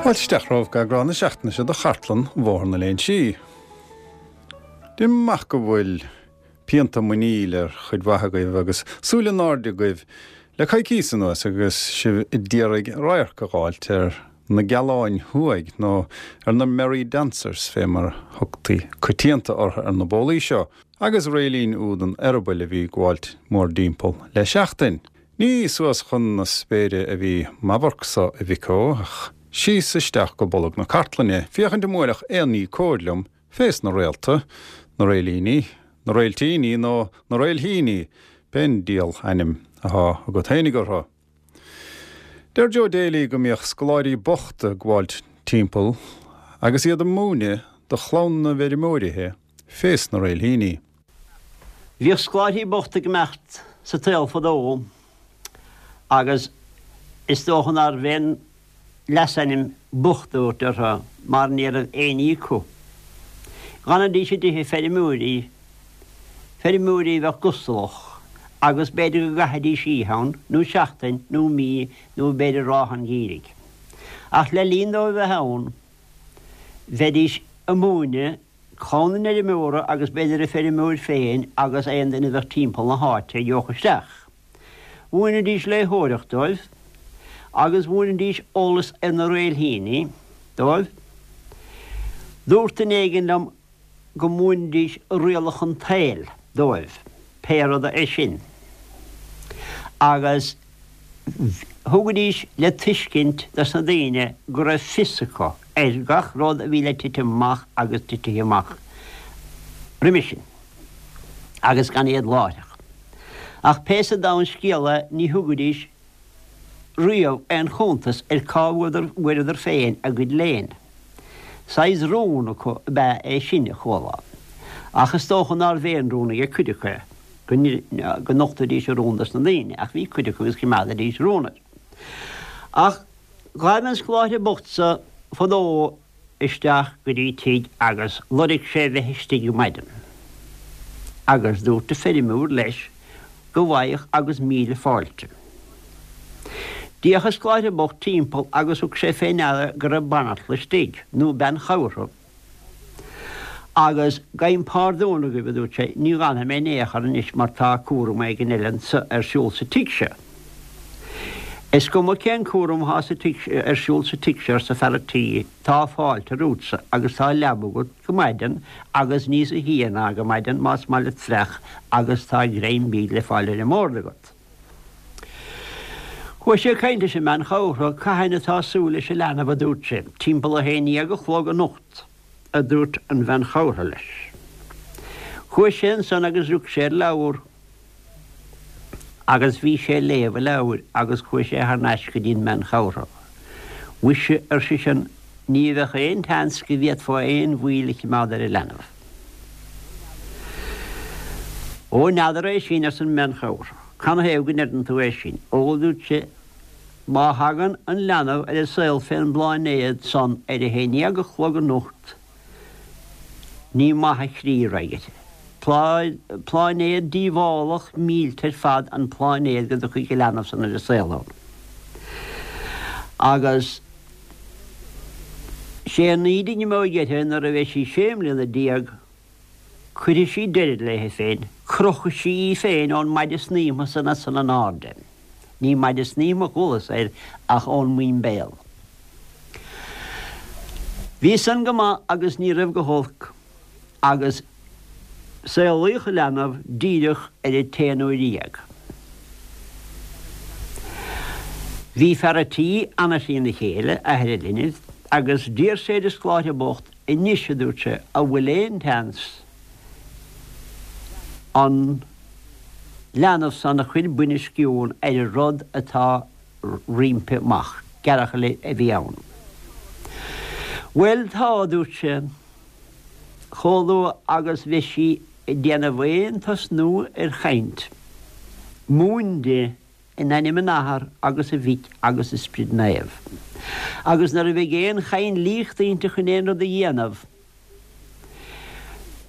Fáilte isteach romhaibh go eagrán na seachtaine seo de Chartlann Bhóthar na Léinsí. Deinim amach go bhfuil pianta muiníl ar chuid mhaith agaibh agus súile in airde agaibh le coicíos anuas agus sibh a d'iarraidh radharc a dh'fháilt ar na Gealáin Thuaidh nó ar na Merry Dancers fé mar thugtaí coitianta orthu ar na bólaí seo agus réilín úd an eireabaill a bhí ag gabháilt mórdtimpeall le seachtain. Ní suas chun na spéire a bhí m'amharc-sa, a mhic ó, ach síos isteach go bolg na cartlainne, féachaint an mbuailfeadh aon ní cóir liom fés na réalta, na réilíní, na réiltíní nó na réilthíní, pén diabhal ainm athá agat fhéinig orthu. Deir Joe Daly go mbíodh scoláirí bochta ag gabháilt timpeall agus iad ag múineadh do chlann na bhfeirmeoirithe fés na réilthíní. Bhíodh scoláirí bochta ag imeacht sa tsaol fadó agus is dócha nárbh aon leasainm bocht a thabhairt orthu mar ní raibh aon ní acu. Dh'fhanaidís i dtithe feirmeoirí, feirmeoirí a bheadh gustalach agus b'fhéidir go gcaithfidís oíche ann, nó seachtain, nó mí, nó b'fhéidir ráithe an gheimhridh. Ach le linn dóibh a bheith ann, bheidís ag múineadh clann an fheirmeora agus b'fhéidir an feirmeoir féin agus aon duine a bheadh timpeall na háite a gheobhadh isteach. Mhúinidís léitheoireacht dóibh agus mhúinidís eolas ar na réilthíní dóibh. Dúirt duine éigin liom go múinidís rialacha an tsaoil dóibh, pé rud é sin. Agus thugaidís le tuiscint dos na daoine go raibh fios acu ar gach rud a bhí le titim amach agus titithe amach roimis sin, agus gan iad láithreach. Ach pé sa domhan scéal é ní thugaidís riamh aon chuntas ar cá bhfuaireadar féin a gcuid léinn. Saghas rún acu ab ea é sin, a chuala. Ach is dócha nárbh aon rún ag cuid acu é, go nochtfaidís a rún dos na daoine, ach bhí cuid acu agus choimeádaidís rún air. Ach ghabh an scoláire bocht so fadó isteach go dtí tigh agus loirg sé bheith istigh go maidin. Agus dúirt an feirmeoir leis go bhfaigheadh agus míle fáilte. D'fhéach an scoláire bocht timpeall agus thug sé fé ndeara go raibh banaltra istigh, nó bean chabhartha. Agus gabhaim pardún agaibh, a dúirt sé, ní dh'fhanfaidh mé in aon chor anois mar tá cúram éigin eile anso ar siúl sa tigh seo. Is cuma cén cúram athá sa tigh, ar siúl sa tigh seo, arsa fear a' tí, tá fáilte romhatsa agus tá leaba agat go maidean agus níos a shia ná go maidean más maith leat fraoch agus tá greim bídh le fáil ar an mbord agat. Chuaigh sé ag caint leis an mbean chabhartha, Cathain atá súil leis an leanbh, a dúirt sé. Timpeall a haon dhéag a chlog anocht, a dúirt an bhean chabhartha leis. Chuaigh sé ansan agus rug sé ar leabhar agus bhí sé ag léamh an leabhair agus chuaigh sé thar n-ais go dtí an mbean chabhartha. Mhuise, ar seisean, ní bheadh aon tseans go bhféadfá aon mhoill a chimeád ar an leanbh. Ó, n'fheadar é sin, arsa an bhean chabhartha. Canathaobh go ndeireann tú é sin? Ó, dúirt sé, má thagann an leanbh ar an saol fén bpláinéad san ar a haon dhéag a chlog anocht, ní maith an chrí a raghaidh uirthi. Pláinéad díobhálach millte ar fad an pláinéad go dtiocfaidh an leanbh san ar an saol ann. Agus sé an ní a d'imeoidh uirthi nuair a bheidh sí sé mbliana cuirfidh sí deireadh léi féin, crochfaidh sí í féin ón maide snaidhmthe san ansan in airde. Ní maide snaidhmthe a chualas air ach ón muimbéal. Bhí san go maith agus ní raibh go holc agus saolaíodh an leanbh díreach ar a t-aon uair dhéag. Bhí fear a' tí ana-thrína chéile, athair an linbh, agus d'iarr sé ar an scoláire bocht Anois, a dúirt sé, an bhfuil aon tseans an leanbh san a chuir buinesciúin ar an rud atá roimpi amach? Gearrchaile a bhí ann. Bhuel, tá, a dúirt sé, chomh luath agus bheidh sí ag déanamh aon tosnú ar chaint, múin di In ainm an Athar agus an Mhic agus an Sprid Naomh. Agus nuair a bheidh aon chainlíocht inti chun aon rud a dhéanamh,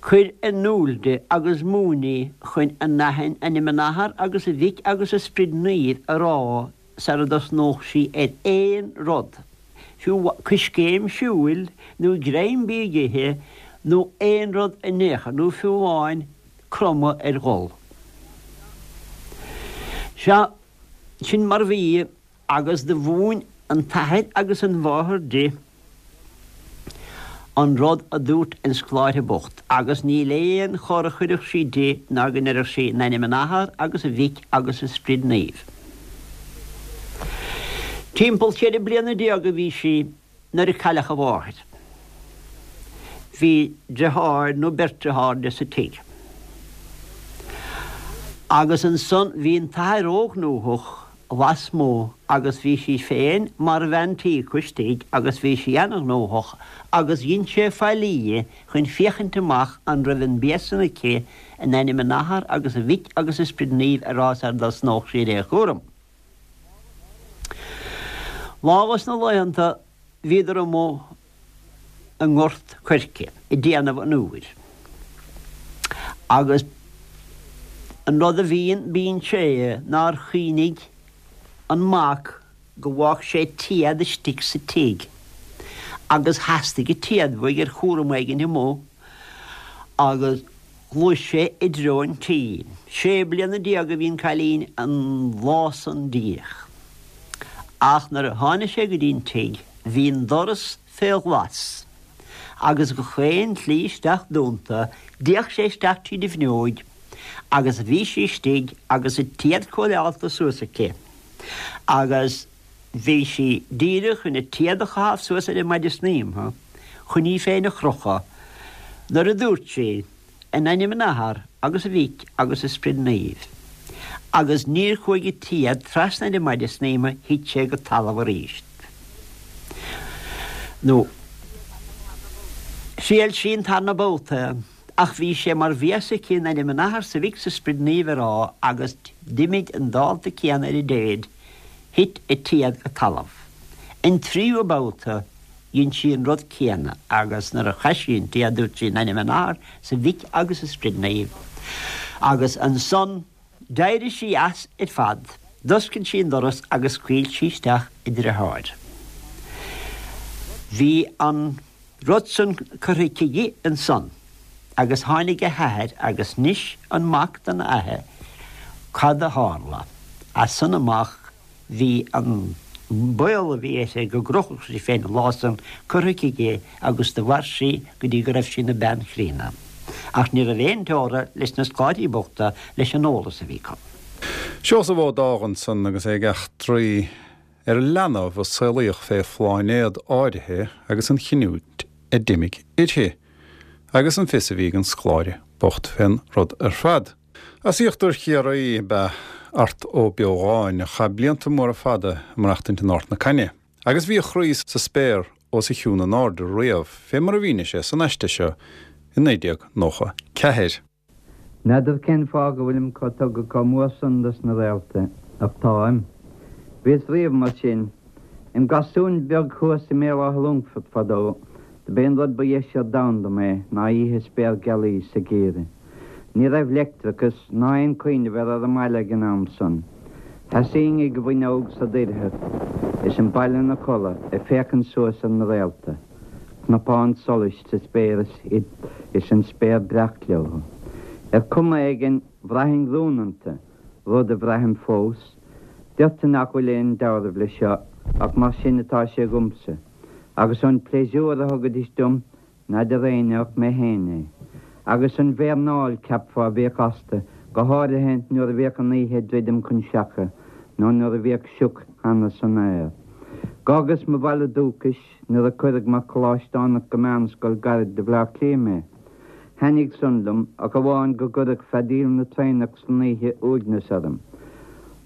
cuir in iúl di agus múin í chun in ainm an Athar agus an Mhic agus an Sprid Naoimh a rá sara dtosnódh sí ar aon rud. Fiú coiscéim siúil nó greim bídh a ithe nó aon rud in aon chor, nó fiú amháin cromadh ar ghol. Sea, sin mar a bhí agus do mhúin an t-athair agus an mháthair di an rud a dúirt an scoláire bocht, agus níl aon chor a chuirfeadh sí di ná go ndéarfadh sí, In ainm an Athar agus an Mhic agus an Sprid Naoimh. Timpeall 14 bliana a bhí sí nuair a cailleadh a mháthair. Bhí deartháir nó beirt dearthár di sa tigh. Agus ansan bhí an t-athair róghnóthach lasmuigh agus bhí sí féin mar bhean tí acu istigh agus bhí sí ana-ghnóthach agus dhein sé faillí di chun féachaint amach an raibh an bia san aici in ainm an Athar agus an Mhic agus an Sprid Naoimh a rá sar dtosnódh sí ar aon chúram. Lá dos na laethanta bhíodar amuigh i ngort coirce ag déanamh an iúir. Agus an rud a bhíonn, bíonn sé nár chuimhnigh an mac go bhfág sé téad istigh sa tigh agus theastaigh an téad uaidh ar chúram éigin amuigh agus Ghluais sé i dtreo an tí. Sé bliana a bhí an cailín an lá san díreach. Ach nuair a tháinig sé go dtí an tigh bhí an doras fé ghlas agus gach aon tslí isteach dúnta. D'fhéach sé isteach tríd an bhfuinneoig agus bhí sí istigh agus a téad cóireálta suas aici agus Bhí sí díreach chun a téad a chaitheamh suas ar an maide snaidhmthe chun í féin a chrochadh nuair a dúirt sí, In ainm an Athar agus an Mhic agus an Sprid Naoimh. Agus níor chuaigh an téad trasna ar an maide snaidhmthe, thit sé go talamh arís. Nó thriail sí an tarna babhta ach bhí sé mar bhí fhios aici in ainm an Athar 's an Mhic 's an Sprid Naoimh a rá agus d'imigh an dálta céanna ar an dtéad. Thit a téad go talamh. An tríú babhta dhein sí an rud céanna agus nuair a chaith sí an téad dúirt sí in ainm an Athar 's an Mhic agus an Sprid Naoimh agus ansan d'éirigh sí as ar fad, d'oscail sí an doras agus scaoil sí isteach a deartháir. Bhí an rud san curtha aici di ansan agus tháinig a hathair agus 'nis an mac don athair cad a tharla. As san amach bhí an baol a bhí uirthi go gcrochfadh sí féin an lá san curtha aici di agus do mhair sí go dtí go raibh sí ina bean chríonna. Ach ní raibh aon teora leis na scoláirí bochta leis an eolas a bhí acu. Seosamh Ó Dágha ansan agus é ag eachtraí ar an leanbh a saolaíodh fé phláinéad áirithe agus an chinniúint a d'imigh uirthi, agus an fios a bhí ag an scoláire bocht fén rud ar fad. As íochtar Chiarraí ab ea Art Ó Beogáin, a chaith blianta móra fada ag maireachtaint in Ard na Caithne, agus bhí a chroí sa spéir os a chionn in airde riamh, fé mar a mhínigh sé san aiste seo i 1994. N'fheadar cén fáth go bhfuilim chomh tugtha chomh mór san dos na réalta, ach táim. Bhíos riamh mar sin. Im ghasúin beag thuas i mBéal Átha Longfoirt fadó, do b'é an rud ba dheise ar domhan dom é ná oíche spéirghealaí sa gheimhreadh. Ní raibh leictreachas ná aon chuimhneamh air ar an mbaile ag an am san. Sheasaínn ag an bhfuinneog sa doircheacht is an baile 'na chodladh ag féachaint suas ar na réalta. Cnapáin solais sa spéir is an spéir breac leo. Ar chuma éigin, bhraithinn rún iontu, rud a bhraithim fós. Deirtear nach bhfuil aon dealramh leis seo, ach mar sin atá sé dhomsa. Agus an pléisiúr a thugaidís dom, n'fheadar éinne ach mé féin é. Agus an mhéarnáil, cheapfá, a bhíodh astu, go háirithe nuair a bhíodh an oíche ag druidim chun seacha, nó nuair a bhíodh sioc cheana san aer. Dh'fhágas mo bhaile dúchais, nuair a cuireadh mar choláisteánach go meánscoil gairid do Bhleá Cliath mé. Thaitnigh san liom, ach amháin go gcuireadh feadaíl na traenach san oíche uaigneas orm.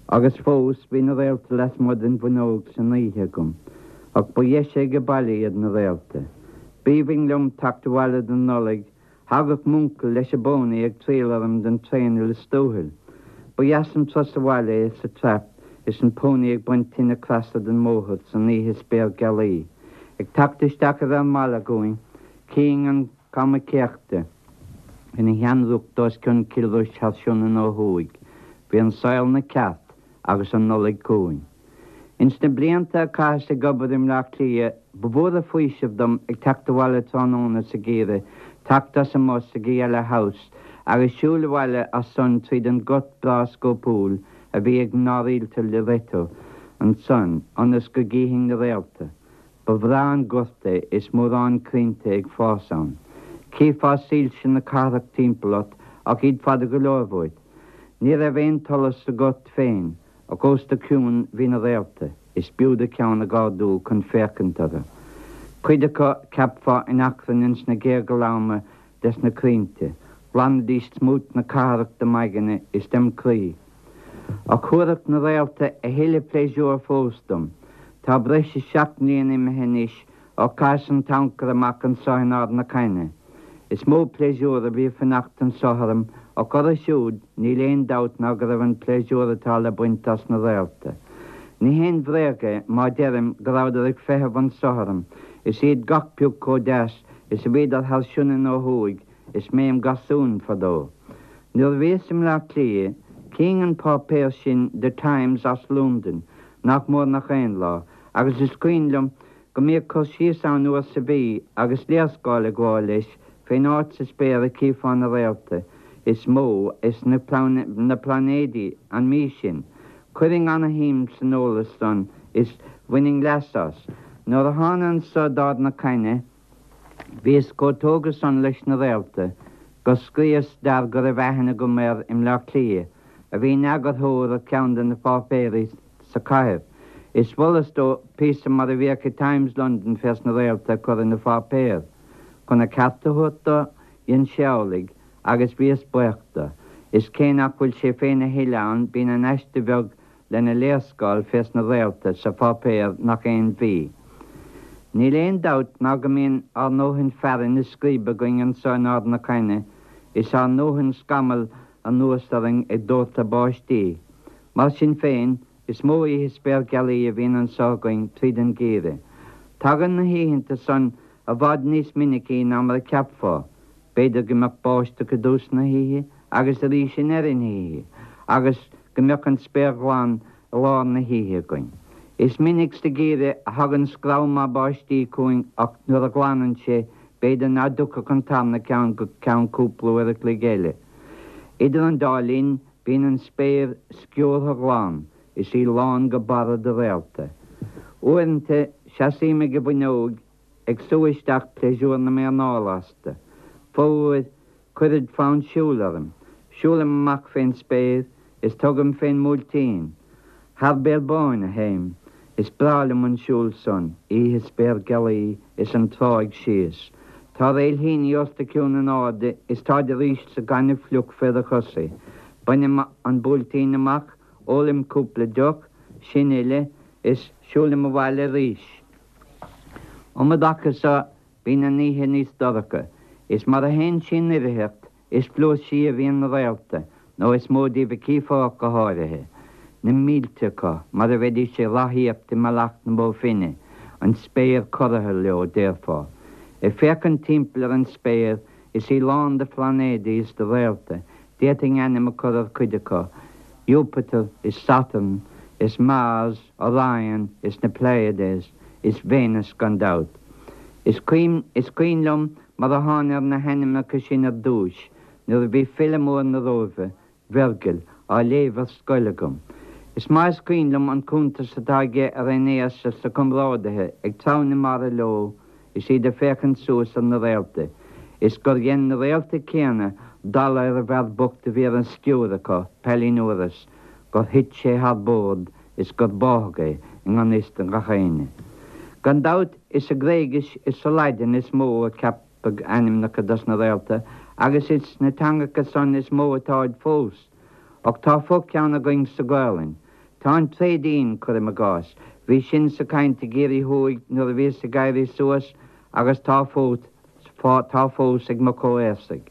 Agus fós, bhí na réalta lasmuigh den bhfuinneog san oíche agam. Ach ba dheise age baile iad na réalta. B'aoibhinn liom teacht abhaile don Nollaig Thagadh m'uncail leis an bpónaí ag triall orm den traein i Lios Tuathail. Ba dheas an turas abhaile é sa trap is an pónaí ag baint tine creasa den mbóthar san oíche spéirghealaí. Ag teacht isteach ar an mbaile dhúinn, chífinn an Cama Céachta ina sheanrúcht os cionn Cill Rois thar Sionainn ó thuaidh. Bhí an saol 'na cheart agus an Nollaig chugainn. Ins na blianta a chaitheas ag obair i mBleá Cliath. Ba mhór an faoiseamh dom ag teacht abhaile tráthnóna sa gheimhreadh, teacht as an mbus ag an Yellow House agus siúl abhaile as san tríd an gort breá scópúil a bhí ag mná rialta Loreto ansan ionas go gcífinn na réalta. Ba bhreá an gort é is mórán crainnte ag fás ann. Chífeá soilse na cathrach timpeall ort ach iad fada go leor uait. Ní raibh aon tsolas sa ghort féin ach os do chionn bhí na réalta. Is b'fhiú do cheann a dh'ardú chun féachaint orthu. Cuid acu, cheapfá, in achrann ins na géaga loma des na crainnte. Ghlanaidís smúit na cathrach de m'aigne is dem chroí. Ach thabharfadh na réalta a thuilleadh pléisiúir fós dom. Tá breis is 7 mbliana imithe anois Ó chaitheas an t-ancaire amach anso in Ard na Caithne, is mó pléisiúr a bhí ag fanacht anso orm, ach orthu siúd, níl aon dabht ná go raibh an pléisiúr atá le baint as na réalta. Ní haon bhréag é má deirim go rabhadar ag feitheamh anso orm, is iad gach pioc chomh deas is a bhíodar thar Sionainn ó thuaidh is mé im gharsún fadó. Nuair a bhíos i mBleá Cliath, chífinn an páipéar sin The Times as Londain nach mór nach aon lá, agus is cuimhin liom go mbíodh cur síos ann uair sa mhí agus léarscáil ag gabháil leis fén áit sa spéir a chífeá na réalta is mó is na pláinéidí an mhí sin. Chuirfinn ana-shuim san eolas san is bhaininn leas as. Nuair a thána anso d'Ard na Caithne bhíos chomh tógtha san leis na réalta gur scríos d'fhear go raibh aithne agam air i mBleá Cliath a bhí ina eagarthóir ar cheann de na páipéirí sa chathair. Is mholas dó píosa mar a bhíodh i Times London fés na réalta a chur ina pháipéar. Chun a cheart a thabhairt dó, dhein sé amhlaidh, agus bhíos baoch do. Is cé nach bhfuil sé féin a thuilleadh ann, bíonn an aiste bheag lena léarscáil fés na réalta sa pháipéar nach aon mhí. Níl aon dabht ná go mbíonn ár ndóthain fearainn is scríob againn anso in Ard na Caithne, is ár ndóthain scamall anuas orainn ag dórtadh báistí. Mar sin féin, is mó oíche spéirghealaí a bhíonn anso againn tríd an gheimhreadh. Tagann na hoícheanta san i bhfad níos minicí ná mar a cheapfá. B'fhéidir go mbeadh báisteach i dtús na hoíche agus arís i ndeireadh na hoíche, agus go mbeadh an spéir ghlan i lár na hoíche againn. Is minic sa gheimhreadh a thagann screamh maith báistí chugainn ach nuair a ghlanann sé, b'fhéidir ná dtiocfadh an tarna ceann go ceann cúpla uair a chloig eile. Idir an dá linn, Bíonn an spéir sciúrtha glan is í lán go barra de réalta. Uaireanta, seasaím ag an bhfuinneoig ag sú isteach pléisiúr na m'anála astu. Fomhuair, cuirid fonn siúil orm. Siúlaim amach fén spéir is tugaim fén mBuailtín. Thar Béal Báin a théim. Is breá liom an siúl san, oíche spéirghealaí is an tráigh síos. Tá réilthíní os do chionn in airde is táid arís sa ghaineamh fliuch fé do chosa. Bainim an Buailtín amach, ólaim cúpla deoch, sin uile, is siúlaim abhaile arís. Um an dtaca so bíonn an oíche níos dorcha, is mar a théann sí in oirtheacht, Is flúirsí a bhíonn na réalta, nó is mó díobh a chífeá ach go háirithe. Na mílte acu, mar a bheidís ag rothaíocht i mBealach na Bó Finne, an spéir corraithe leo, déarfá. Ag féachaint timpeall ar an spéir, is í lán de phláinéidí is de réalta, d'fhéadfainn ainm a chur ar chuid acu, Iúpatar is Satarn is Mars, Orion is na Pleiades is Véineas gan dabht. Is cuimhin liom mar a thána ar na hainmneacha sin ar dtúis, nuair a bhí file mór na Róimhe, Veirgil, á léamh ar scoil agam. Is maith is cuimhin liom an cuntas atá aige ar Aeinéas is a chomrádaithe ag treabhadh na mara leo is iad ag féachaint suas ar na réalta, is gur dhein na réalta céanna dalladh ar an bhfear bocht a bhí ar an sciúir acu, Palinurus, gur thit sé thar bord is gur báthadh é i ngan fhios do gach éinne. Gan dabht, is sa Ghréigis is sa Laidin is mó a ceapadh ainmneacha dos na réalta, agus is sna teangacha san is mó atáid fós. Ach tá fo-cheann againn sa Ghaelainn. Tá an tréidín, cuirim i gcás. Bhí sin sa chaint i gCiarraí Thuaidh nuair a bhíos ag éirí suas agus tá fós, tá fós ag mo chomhaosaigh.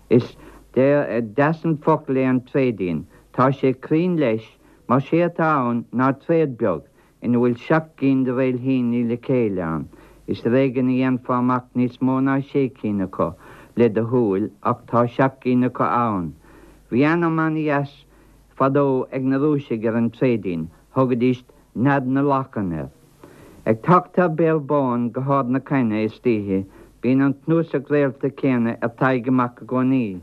Is deas an focal é an tréidín. Tá sé cruinn leis, Mar sé atá ann ná tréad beag ina bhfuil 7 gcinn de réilthíní le chéile ann. Is ar éigean a dhéanfá amach níos mó ná sé cinn acu le do shúil ach tá 7 gcinn acu ann. Bhí ainm ana-dheas fadó ag na Rúisigh ar an tréidín, thugaidís Nead na Lachan air. Ag teacht thar Béal Bán go hArd na Caithne istoíche bíonn an cnuasach réalta céanna ar t'aghaidh amach i gcónaí.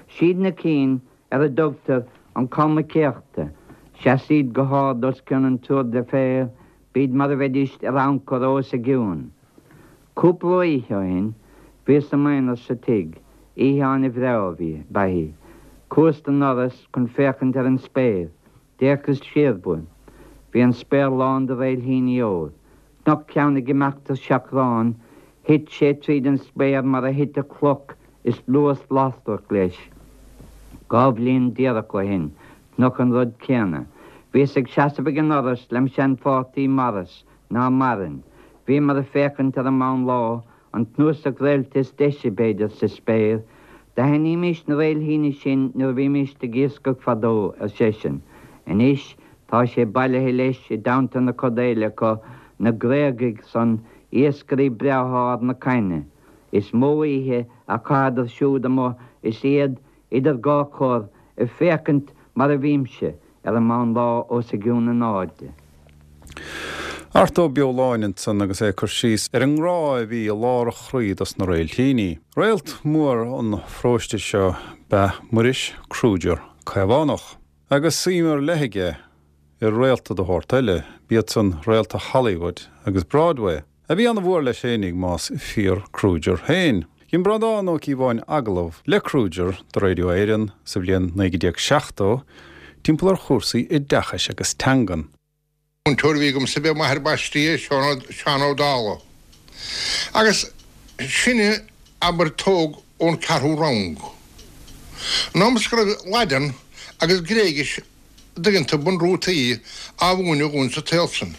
Siad na cinn ar a dtugtar an Camba Céachta. Seasaid go hard os cionn an Tour de Fer, bíd mar a bheidíst ar amhcar os a gcionn. Cúpla oíche ó shin, bhíos i m'aonar sa tigh, oíche an-bhreá a bhí, ba í. Chuas don ndoras chun féachaint ar an spéir. D'fhéachas siar uaim. Bhí an spéir lán de réilthíní óir. Chonac ceann ag imeacht ar seachrán. Thit sé tríd an spéir mar a thitfeadh cloch is luas lasrach leis. Dá bhliain díreach ó shin, chonac an rud céanna. Bhíos ag seasamh ag an ndoras lem sheanpháirtí Maurice, ná maireann. Bhíomar ag féachaint ar an meán lá, an cnuasach réalta is deise, b'fhéidir, sa spéir. D'aithnímís na réilthíní sin nuair a bhímíst ag iascach fadó, ar seisean. Anois tá sé bailithe leis i dteannta na coda eile acu, na Gréagaigh san, iascairí breátha Ard na Caithne. Is mó oíche a chaitheadar siúd amuigh is iad idir dhá chor, ag féachaint mar a bhímse, ar an meán lá os a gcionn in airde. Art Ó Beoláin ansan agus é ag cur síos ar an ngrá a bhí i lár a chroí dos na réiltíní. Réalt mór an pharóiste seo b'ea Muiris Kruger Caomhánach, agus suim ar leith aige i réalta de shórt eile, b'iad san réalta Hollywood agus Broadway. A bhí ana-mhór leis fhéinig, más fíor Kruger féin. Dhein Breandán Ó Cíobháin agallamh le Kruger do Radio Éireann sa bhliain 1970 timpeall ar chúrsaí oideachais agus teangan. Múinteoir a bhí agamsa b'é m'athair baistí é, Seán Ó Dálaigh. Agus sinne, abair, tógadh ón ceathrú rang. An am is go raibh Laidean agus Gréigis dtuigeann tú, bunrútaí á mhúineadh dhúinn sa tsaol san.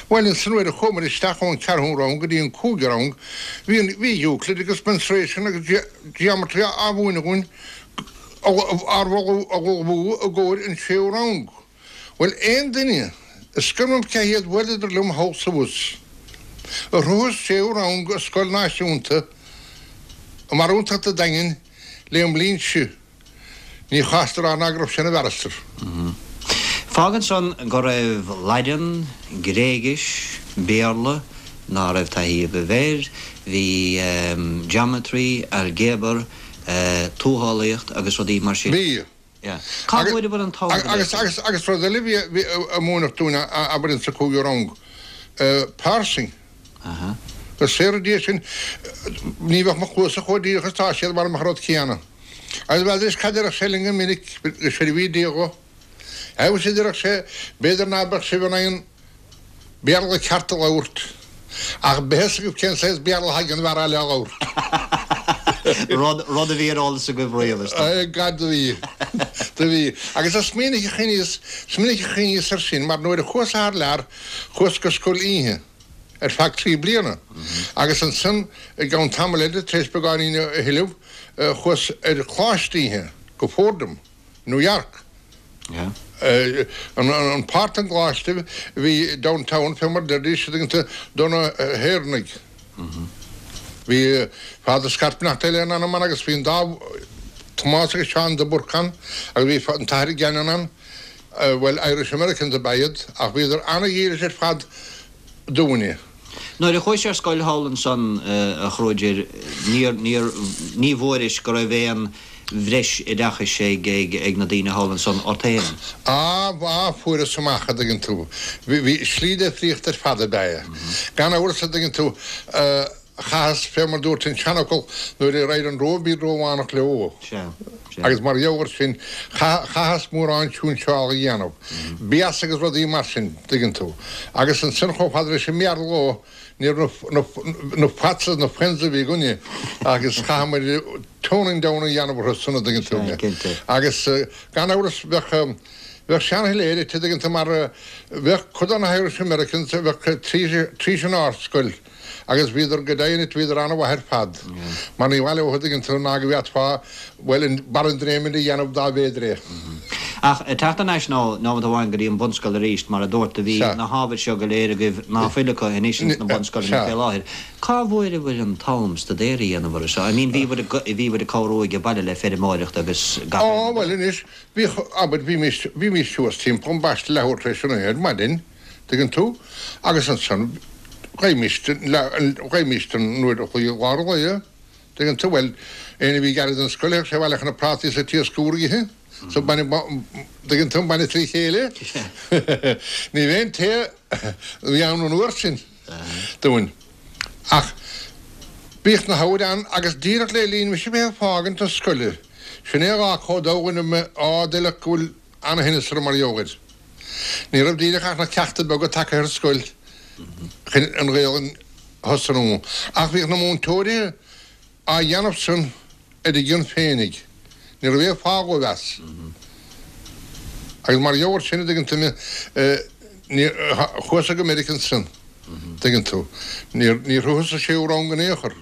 Bhuel, ansan nuair a chuamair isteach ón cheathrú rang go dtí an cúigiú rang, bhí an, bhí Euclid agus mensuration agus geometry á mhúineadh dhúinn, ár ullmhú i gcomhair an séú rang. Bhuel, aon duine, is cuma liom cé hiad, bhuaileadar liom thall 's abhus, a shroich an séú rang i scoil náisiúnta i mbarúntacht an Daingin lé an mbliain seo, Ní chastar ná go raibh sé ina bharrister. Fágann san go raibh Laidean, Gréigis, Béarla, ná raibh taithí agaibh air, bhí geometry, ailgéabar, tuathálaíocht agus rudaí mar sin. Bhí. Yeah. Cá bhfuaireabhair an t-am go léir sin? Agus rud eile a bhí a múineadh dúinn abair insa cúigiú rang, parsing. Aha. Go saora Dia sinn, ní bheadh mo chluasa chomh díreach is atá siad mara mbeadh an rud céanna. Agus b'fhéidir is cad a déarfadh sé linn go minic, go seirbhí Dia dho. Agus a déarfadh sé, b'fhéidir ná beadh sibh in ann Béarla ceart a labhairt, ach beidh fhios agaibh cén saghas Béarla atá ag an bhfear eile á labhairt. Rud, rud a bhí ar eolas agaibh riamh, is dócha. Gad do bhí. Do bhí. Agus is minic a chuimhníos, is minic a chuimhníos air sin, mar nuair a chuas thar lear, chuas go scoil oíche. ar feadh trí bliana agus ansan i gceann tamaill eile, tar éis beagáinín a thuilleamh, chuas ar choláiste oíche go Fordham, New York. An páirt den gcoláiste a bhí downtown, fé mar deiridís, an dtuigeann tú, do na hÉireannaigh. Bhí Father Scott beannacht Dé lena anam ann agus bhí an dá Tomás agus Seán de Búrca ann agus bhí an tAthair Gannon ann. Bhuel, Irish Americans ab ea iad, ach bhíodar ana-dhílis ar fad dúinne. Nuair a chuais ar scoil thall ansan, a Chruaidir, níor, níor, ní bhfuairis go raibh aon bhreis oideachais ag, ag, ag na daoine thall ansan ort féin? Á, á, fuaireas amach, a dtuigeann tú. Bhí, bhí, slí difríocht ar fad ab ea é. Gan amhras, a dtuigeann tú, Chaitheas, fé mar dúirt an seanfhocal, nuair a raghair an Róimh bí Rómhánach leo. Sea, sea. Agus mar gheall air sin, chaitheas mórán siúinseála a dhéanamh, béasa agus rudaí mar sin, dtuigeann tú. Agus ansin chomh fada leis an mBéarla dhó, ní raibh na, na fats agus na friends a bhí againne agus chaitheamair toning down a dhéanamh orthu san, a dtuigeann tú. Sea, cinnte. Agus gan amhras bheadh, bheadh sean-hilarity, a dtuigeann tú, mar bheadh cuid de na hIrish Americans a bheadh tríis an ardscoil, Agus bhíodar, go deimhin duit, bhíodar an-mhaith ar fad, mar ní mhaith leo, a dtuigeann tú, ná go bhféadfá, bhuel, an barr an dréimire a dhéanamh dá mb'fhéidir é. Ach ag teacht thar n-ais nóiméad amháin go dtí an bhunscoil arís, mar a dúirt, do bhí na hábhair seo go léir agaibh ná fuil acu anois ins na bunscoileanna fé láthair. Cá bhfuaireabhair an t-am staidéar a dhéanamh orthu seo? I mean, bhíobhair ag, bhíobhair ag cabhrú age baile le feirmeoireacht agus gach Á, aon rud bhuel eile. anois, bhíodh, abair, bhímís, bhímís suas timpeall ambaiste leathuair tar éis a naoi ar maidin. Tuigeann tú? Agus ansan, gheibhimíst, gheibhimíst an uair a chloig i lár an lae, tuigeann tú? Bhuel, éinne a bhí gairid don scoil, théadh sé abhaile chun na prátaí is an t-iasc úr a ithe. So bainne, tuigeann tú, an bainne trí chéile. Ní bheadh aon tae a bhí ann an uair sin dúinn. Ach bhíodh na habhair ann agus díreach le linn mise bheith ag fágaint na scoile, sin é a dhá chomh domhain mé á d'fheilfeadh go bhfuil ana-thinneas orm mar gheall air. Ní raibh díreach ach na ceachta beaga tagtha ar scoil chun an Ghaelainn a thosnú, ach bhíodh na múinteoirí á dhéanamh san ar a gcion féinig. Ní raibh aon phá dhóibh as. Agus mar gheall air sin, a dtuigeann tú mé, chuas-sa go Meiriceá ansan, dtuigeann tú. Níor shroicheas an séú rang in aon chor.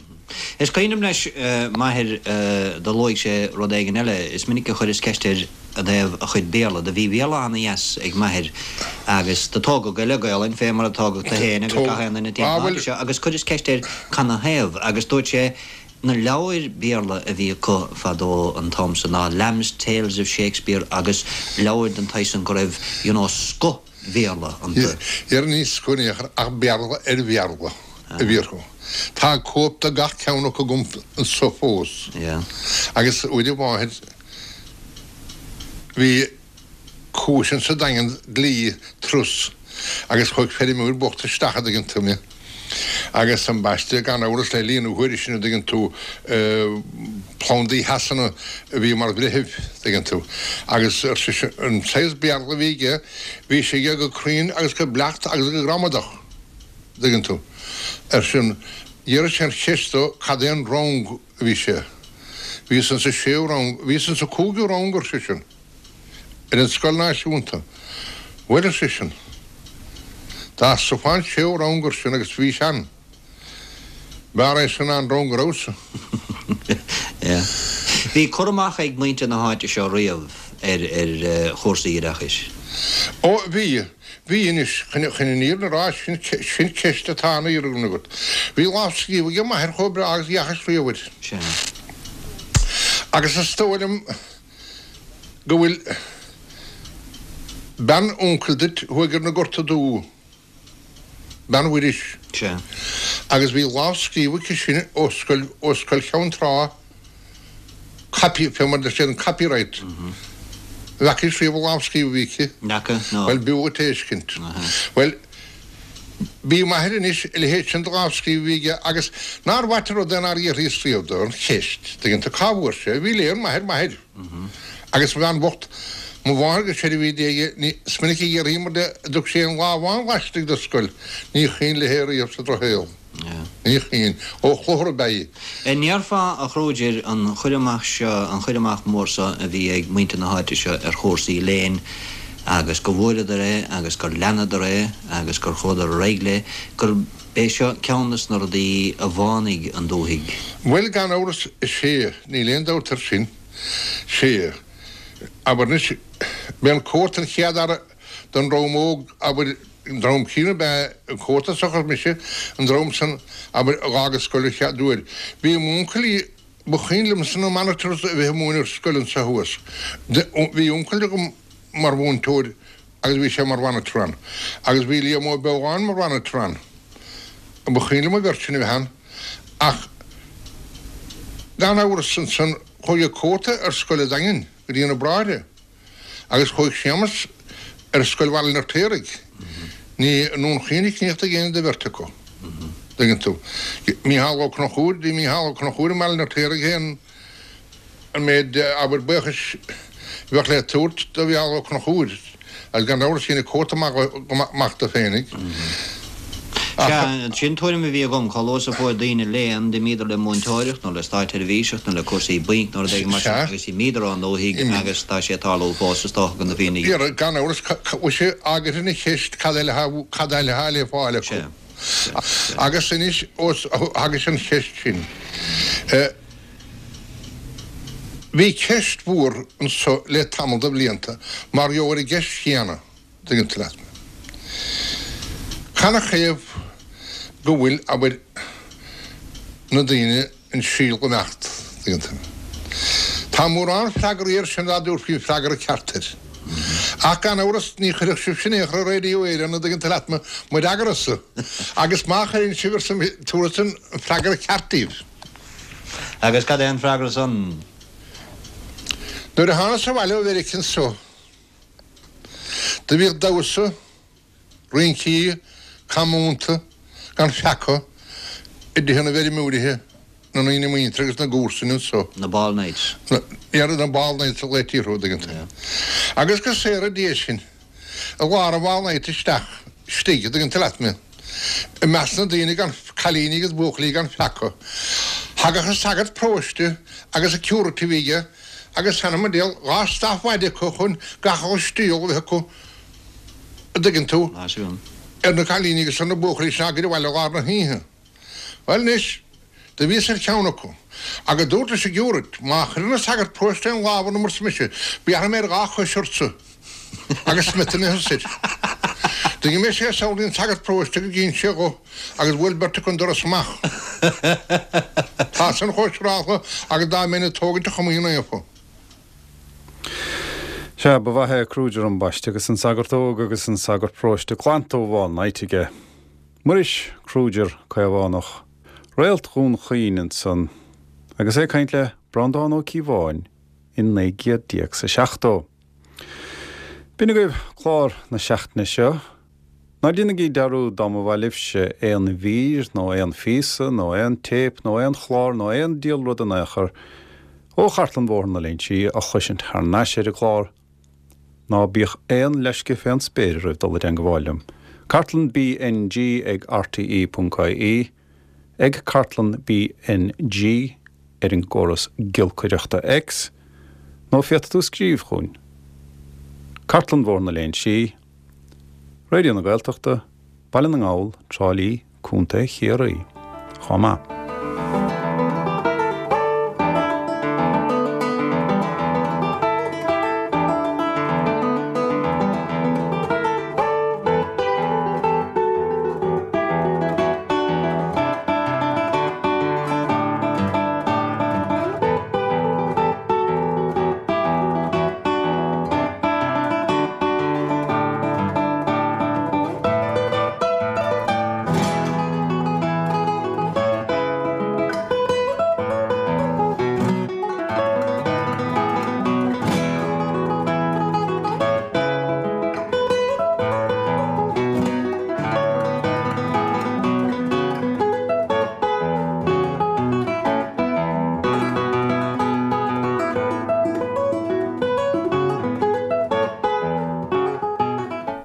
Is cuimhin liom leis m'athair do luaigh sé rud éigin eile. Is minic a chuireas ceist air i dtaobh a chuid Béarla. Do bhí Béarla ana-dheas ag m'athair agus do tógadh é le Gaolainn fé mar a tógadh tu féin agus gach aon duine timpeall na háite seo agus chuireas ceist air canathaobh agus dúirt sé na leabhair Béarla a bhí acu fadó an t-am san ná Lamb's Tales of Shakespeare agus leabhair den tsaghas san go raibh you know scoth Bhéarla iontu. Dhera ní scoth in aon chor ach Béarla ar Bhéarla a bhí orthu. Tá cóip de gach ceann acu agam anso fós. Agus uair amháin bhí cúis insa Daingean dlí trus agus chuaigh feirmeoir bocht isteach a' dtuigeann tú mé. Agus ambaiste, gan amhras, le linn na huaire sin, a dtuigeann tú, plandaí Shasana a bhí mar bhreitheamh, tuigeann tú. Agus ar seisean, an saghas Béarla a bhí aige, bhí sé aige go cruinn agus go beacht agus go gramadach, tuigeann tú. Ar seisean, d'iarr sé an cheist dó cad é an rang a bhí sé. Bhíos insa séú rang, bhíos insa cúigiú rang, ar seisean. Ar an scoil náisiúnta. Bhuel, ar seisean, dá sroichfeá an séú rang ar seisean agus bhís ann. B'fhearr é sin ná an rang a rabhas-sa. Bhí cur amach ag muintir na háite seo riamh ar chúrsaí oideachais. Ó, bhí. Bhí anois, chun an fhírinne a rá, sin sin ceist atá ana-oiriúnach agat. Bhí lámhscríobh ag m'athair chomh breá agus a dheachthas riamh air. Sea. Agus is dóigh liom go bhfuil bean uncail duit thuaidh ar na Gorta Dubha, bean Mhuiris. Sea. Agus bhí lámhscríobh aici sin ó scoil, ó scoil Cheann Trá, copy, fé mar a deir siad an copyright. An bhfeacaís riamh an lámhscríobh a bhí aici? N'fheaca, no. Bhuel, b'fhiú dhuit é a fheiscint. Bhuel, bhí m'athair anois, a leithéid sin de lámhscríobh a bhí aige agus nár mhaith an rud é nár fhiafraíos riamh dó an cheist, tuigeann tú, cá bhfuair sé, bhí léann maith ar m'athair. Agus mo bhean bhocht, mo mháthair go seirbhí Dé dhi, ní, is minic a d'fhiafraíomar de an dtug sé aon lá amháin laistigh de scoil, ní chuimhin léi riamh sa drochshaol. Ní chuimhin. Ó chluthar ab ea í. An ndéarfá, a Khrúidir, an chur amach seo, an chur amach mór seo a bhí ag muintir na háite seo ar chúrsaí léinn agus go bhfuaireadar é agus gur leanadar é agus gur chuadar ar aghaidh le, gurb é seo ceann des na rudaí a bhánaigh an dúthaigh? Bhuel, gan amhras, is ea, níl aon dabht air sin. Sea. Abair anois, b'é an Comhartha an chéad fhear den dream óg, abair, An dream céanna ab ea an Comhartha seachas mise, an dream san, abair, a dh'fhág an scoil an chéad uair. Bhí m'uncailí, ba chuimhin liomsa na monitors a bheith ag múineadh ar scoil anso thuas. Bhí uncail agam mar mhúinteoir agus bhí sé mar mhonitor ann. Agus bhí Liam Ó Beoláin mar mhonitor ann. Ba chuimhin liom an bheirt sin a bheith ann. Ach gan amhras ansan chuaigh an Comhartha ar scoil an Daingin go dtí na Bráithre. Agus chuaigh Séamus ar scoil Bhaile an Fheirtéaraigh. Ní i nDún Chaoin a críochnaigh éinne den bheirt acu. Dtuigeann tú. Mícheál Ó Conchúir, bhí Mícheál Ó Conchúir i mBaile an Fheirtéaraigh féin an méid abair buíochais a bheadh le tabhairt do Mhícheál Ó Conchúir agus gan amhras dhein an Comhartha maith dó féinig. Sea, sin tuairim a bhí agam, chomh luath is a fuair daoine léann, d'imíodar le múinteoireacht nó le státseirbhíseacht nó le cúrsaí bainc nó rud éigin mar sin agus d'imíodar ón ndúthaigh agus tá sé ag tarlú fós is dócha do na daoine. Dhera, gan amhras, mhuise, agaibh an cheist cad eile cad eile atá le fáil acu. Agus anois, ós thagaís an cheist sin, bhí ceist mhór anso le tamall de bhlianta mar gheall ar an gceist chéanna. Tuigeann tú leat mé. Canathaobh go bhfuil, abair, na daoine an síol ag imeacht, tuigeann tú. Tá mórán freagraí air sin dá dtabharfaí an freagra ceart air. Ach gan amhras ní chuirfeadh sibhse in aon chor ar Radio Éireann, an dtuigeann tú leat mo fhreagra-sa. Agus má chuireann sibh, arsa mise, tabharfadsa an freagra ceart daoibh. Agus cad é an freagra san? Nuair a thánas abhaile ó Mheirice anso, do bhíodh damhsa, rincí, camúnta, gan pheaca, i dtithe na bhfeirmeoirithe, na ndaoine muinteartha agus na gcomharsan anso. Na ball nights. Na, na ball nights a ghlaoití orthu, an dtuigeann tú. Agus go saora Dia sinn, i lár an bhall night isteach, istigh, an dtuigeann tú leat mé, i measc na daoine gan, cailíní agus buachaillí gan pheaca. Thagadh an sagart paróiste agus an curate a bhí aige agus th'anam 'on diabhal, dha staff mhaide acu chun gach uile stiall a bheith acu, a' dtuigeann tú, ar na cailíní agus ar na buachaillí sin á gcur abhaile i lár na hoíche. Bhuel anois, do bhíos ar cheann acu, agus dúrt leis an gcurate, má chuireann an sagart paróiste aon lámh orm arsa mise, béarfaidh mé ar dhá chois ortsa agus smeat ina thusa. D'imigh sé sall dtí an sagart paróiste agus dh'ins sé dho agus bhuail beirt acu an doras amach. Tá san chomh siúráltha agus dá mbeinn ag tógaint an Chomaoin Naofa. Sea, ba mhaith é Kruger ambaiste agus an sagart óg agus an sagart paróiste glanta ó bhall night aige. Muiris Kruger Caomhánach, Réalt Dhún Chaoin ansan agus é ag caint le Breandán Ó Cíobháin in 1970. B'in agaibh clár na seachtaine seo. Ná déanaigí dearúd dá mba mhaith libhse aon mhír nó aon phíosa nó aon téip nó aon chlár nó aon diabhal rud in aon chor ó Chartlann Bhóthar na Léinsí a chloisint thar n-ais ar an gclár, ná bíodh aon leisce fén spéir oraibh dul i dteangabháil liom. Cartlann BNG ag rte.ie Ag Cartlann BNG ar an gcóras giolcaireachta X, nó féadfaidh tú scríobh chugainn. Cartlann Bhóthar na Léinsí, Raidió na Gaeltachta, Baile na nGall, Trá Lí, Contae Chiarraí. Chomh maith.